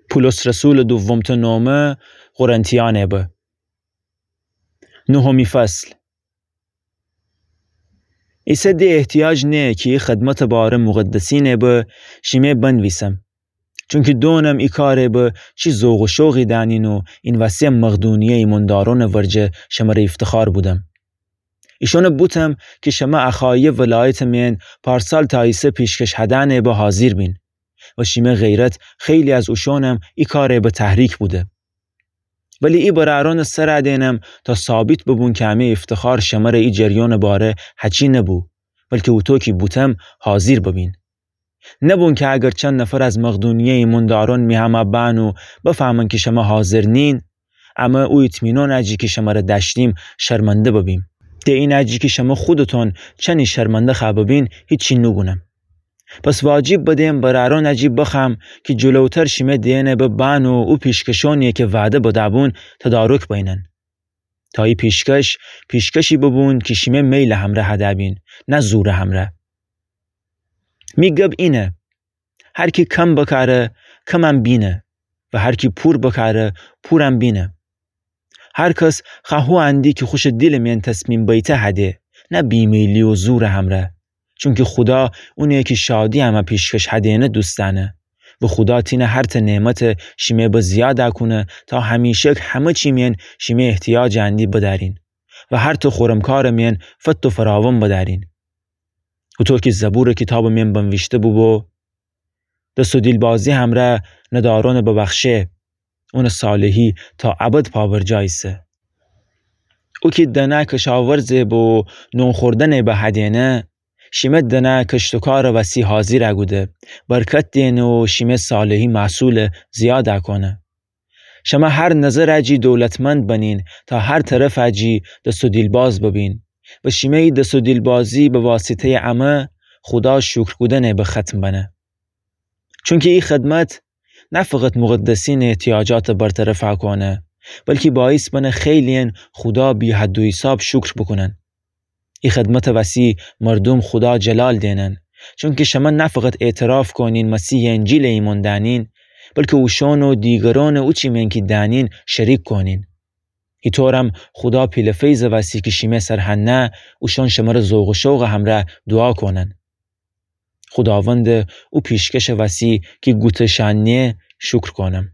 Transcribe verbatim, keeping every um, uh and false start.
پولس رسولٚ دومتأ نومه قرنتیأنه به. نهمی فصل. ایسه ده احتیاج نه کی ای خدمتٚ باره مقدسینه به شیمه بنویسم. چونکی دونم ای کاره به چی ذوق و شوقی دأنین و این وستی مقدونیه ایماندارونٚ ورجه شمره ایفتخار بودم. ایشونه بوتم کی شمه اخایه ولایتٚ مین پارسال تا ایسه پیشکش هدأنه به حاضیر بین و شیمه غیرت خیلی از اوشونم ای کاره به تحریک بوده. ولی ای برأرونٚ سر دینم تا ثابت ببون کی امی ایفتخار شمره ای جریانٚ باره هچی نبو، بلکی اوطو کی بوتم حاضیر ببین. نبون کی اگر چند نفر از مقدونیه ایماندارون می همه بأن و بفهمن کی شمه حاضر نین، امه او اطمینان جی کی شمره دأشتیم شرمنده ببیم. ده اینه جی کی شمه خودتون چنی شرمنده خوأ ببین هیچی نوگونم. پس واجب بدیم برأرون جی بخوأم کی جلوتر شیمه دئنه به بأن و او پیشکشونی کی وعده بدأ بون تدارک بینن. تا ای پیشکش پیشکشی ببون کی شیمه میلٚ همره هدأ بین، نه زورٚ همره. می گب اینه: هر کی کم بکاره، کمم بینه و هر کی پور بکاره، پورم بینه. هر کس خوأ هو اندی کی خوشٚ دیلٚ مین تصمیم بیته هده، نه بیمیلی و زورٚ همره. چونکی خودا اونه کی شادی امه پیشکش هدینه دوست دأنه و خودا تینه هرتأ نعمت شیمه به زیاد کونه تا همیشک همه چی مین شیمه احتیاج اندی بدأرین و هرتأ خورم کارٚ مین فت و فراوان بدأرین. اوطو کی زبورٚ کیتابٚ مین بنویشته بوبو: دس و دیلبازی همره ندارونٚ ببخشه، اونٚ صالحی تا ابد پابرجا ایسه. او کی دنه کشاورزه به و نون خوردنه به هدینه، شیمه دنه کشتوکارٚ وسی حاضیر کوده، برکت دینه و شیمه صالحی محصول زیاد کونه. شمه هر نظر جی دولتمند بنین تا هر طرف جی دس و دیلباز ببین و شیمه ای دس و دیلبازی به واسطه‌یٚ امه خودا شکر کودنه به ختم بنه. چونکی ای خدمت نه فقط مقدسینٚ احتیاجات برطرف کونه، بلکی باعث بنه خیلی‌ین خودا بی‌حد و حساب شکر بوکونن. ای خدمتٚ وسی مردوم خودا جلال دینن، چونکی شمه نه فقط اعتراف کونین مسیحٚ انجیل ایمأن دأنین، بلکی اوشون و دیگرونٚ او چی مین کی دأنین شریک کونین. ایطورم خودا پیله فیضٚ وسی کی شیمه سر هنه، اوشون شمره ذوق و شوقٚ همره دوعا کونن. خوداوندٚ او پیشکشٚ وسی کی گوته شأن نیه شکر کونم.